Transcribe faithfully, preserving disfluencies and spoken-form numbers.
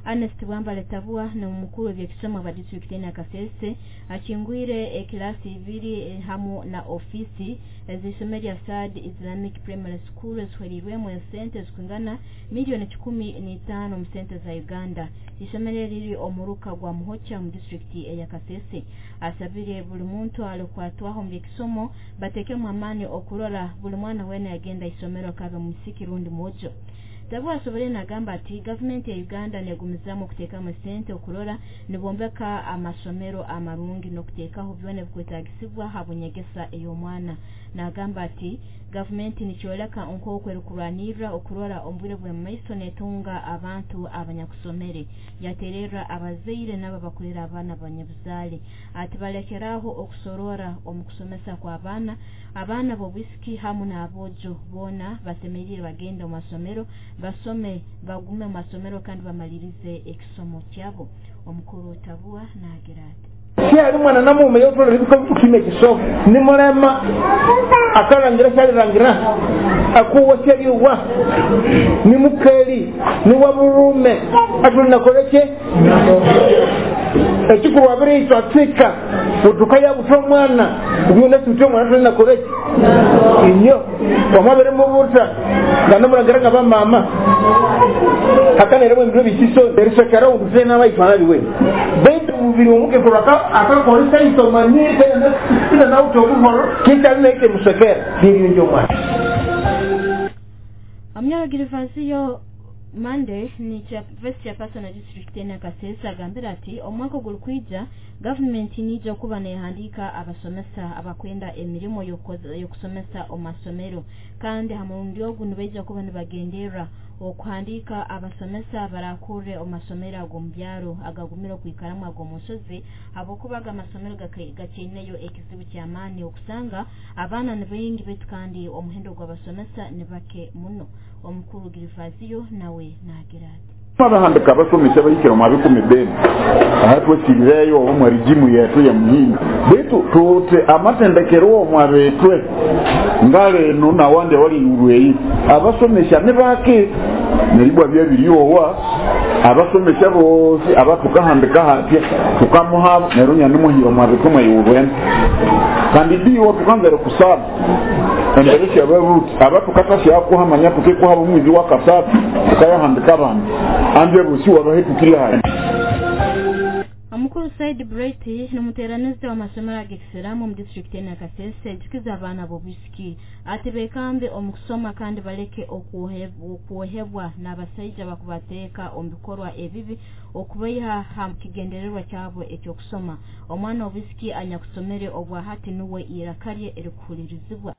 Ernest Bwambale Tabua na omukuru w'eby'ekisomo aba disitulikiti ya Kasese akingwire ekilasi ibiri hamu na ofisi ez'isomero lya Saad Islamic Primary School ezihwerirwemu esente zikwingana miliyoni kikumi n'itaano mu sente za Uganda. Isomero riri omuruka gwa Muhocha mu disitulikiti eya Kasese. Asabire buli muntu alikwatwaho mu by'ekisomo batekemu amaani okurora buli mwana wena yagenda isomero kabe musiki rundi mwojo. Tabua asobole nagamba ati gavumenti ya Uganda negumizamu okuteekamu sente okurora nibombeka amasomero amarungi n'okuteekaho byona ebikwetagisibwa ha bunyegesa ey'omwana. Nagamba ati gavumenti nikyoleka nk'oku erikurwanirra okurora omu bwire bw'omumaiso netunga abantu abanyakusomere. Yatererra abazaire nabo abakurera abaana banyabuzaale ati balekeraho okusorora omu kusomesa kw'abaana. Abaana b'obwisiki hamu n'aboojo boona basemeriire bagende omu masomero basome, bagume mu masomero kandi bamalirize ekisomo kyabo. Omukuru Tabua nagira ati syali mwana namume yotolera bikime kisomo nimulema akalangira syalirangira akuwa syaliwa nimukeli niwabulume atulinakoleke ekikulu abiri atsika utukaya buta omwana ubyona sute omwana tulinakoleke inyo wamabere mubuta nga nomulangira nga bamama hakanere mwembiro bisiso erisekera undu n'abaitwana biwe baitu mubiri omukekuru akakolesa isomanyire tena nauta obuhoro kitalinaite musekera niriyonja omwana. Omunyoro Girivansiyo Mande ni vice chairperson wa district ya Kasese agambira ati omwaka ogulikwija gavumenti nija kuba nehandiika abasomesa abakwenda emirimo y'okusomesa omu masomero, kandi ha murundi ogu nibaija kuba nibagenderra okuhandiika abasomesa barakurre omu masomero ag'omu byaro agagumire okwikaramu ag'omu nsozi, habwokuba aga amasomero gakyaineyo ekizibu ky'amaani okusanga abaana ni baingi baitu kandi omuhendo gw'abasomesa ni bake muno. Omukuru Girivaziyo nawe nagira ati abahandika abasomesa bahikire mu bikumi bene ahatwekirireyo omwe rigimu yetu ya muhinga baitu tute amatendekero omwabetwe ngale eno nawande wali urweyi abasomesa ne bake neribwa byabiryowa abasomesa bose abatukahandika hatya tukamuha nerunya nimuhiro mwabetwe mweyurwen kandi diwo tukanzere kusaba embere yabaruti abatukata yakuhamanya tukekuhaba omwizi wa kasatu tukayahandika abantu anje busi wabahetukiri hayi. Omukuru Said Bright n'omuteeranizi w'amasomero ag'ekisiraamu omu disitulikiti ya Kasese ajukiza abaana b'obwisiki ati beekambe omu kusoma kandi baleke okwohebwa n'abasaija bakubateeka omu bikorwa ebibi okubaiha ha kigendererwa kyabo eky'okusoma. Omwana w'obwisiki anyakusomere obwahati nuwe iraka rye erikuhulirizibwa.